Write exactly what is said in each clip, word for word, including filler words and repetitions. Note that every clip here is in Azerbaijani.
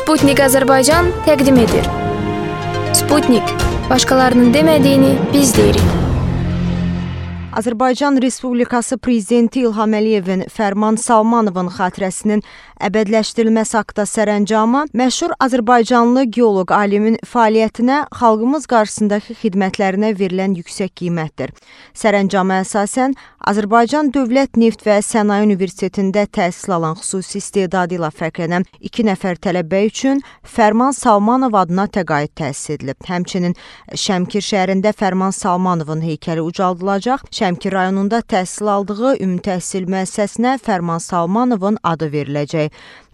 Sputnik Azərbaycan təqdim edir. Sputnik, başqalarının demədiyini biz deyirik. Azərbaycan Respublikası Prezidenti İlham Əliyevin Fərman Salmanovun xatirəsinin əbədləşdirilməsi haqda sərəncamı məşhur Azərbaycanlı geoloq alimin fəaliyyətinə, xalqımız qarşısındakı xidmətlərinə verilən yüksək qiymətdir. Sərəncama əsasən Azərbaycan Dövlət Neft və Sənaye Universitetində təhsil alan xüsusi istedadı ilə fərqlənən iki nəfər tələbə üçün Fərman Salmanov adına təqaüd təsis edilib. Həmçinin Şəmkir şəhərində Fərman Salmanovun heykəli ucaldılacaq. Şəmkir rayonunda təhsil aldığı ümumi təhsil müəssisəsinə Fərman Salmanovun adı veriləcək.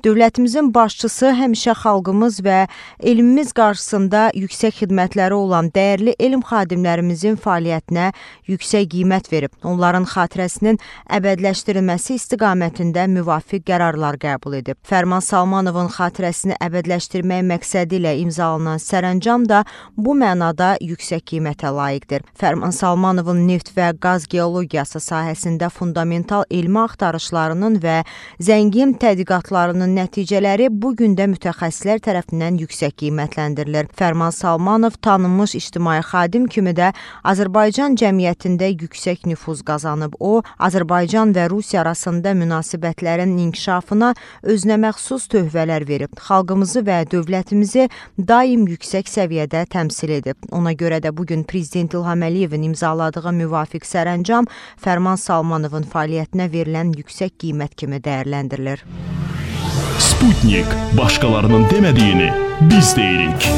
Dövlətimizin başçısı həmişə xalqımız və elmimiz qarşısında yüksək xidmətləri olan dəyərli elm xadimlərimizin fəaliyyətinə yüksək qiymət verib. Onların xatirəsinin əbədləşdirilməsi istiqamətində müvafiq qərarlar qəbul edib. Fərman Salmanovun xatirəsini əbədləşdirmək məqsədi ilə imzalanan sərəncam da bu mənada yüksək qiymətə layiqdir. Fərman Salmanovun neft və qaz geologiyası sahəsində fundamental elmi axtarışlarının və zəngin tədqiqatlarının nəticələri bu gün də mütəxəssislər tərəfindən yüksək qiymətləndirilir. Fərman Salmanov tanınmış ictimai xadim kimi də Azərbaycan cəmiyyətində yüksək nüfuz qazanıb. O, Azərbaycan və Rusiya arasında münasibətlərin inkişafına özünəməxsus töhfələr verib. Xalqımızı və dövlətimizi daim yüksək səviyyədə təmsil edib. Ona görə də bugün Prezident İlham Əliyevin imzaladığı müvafiq sərəncam Fərman Salmanovun fəaliyyətinə verilən yüksək qiymət kimi dəyərləndirilir. Sputnik, başqalarının demədiyini biz deyirik.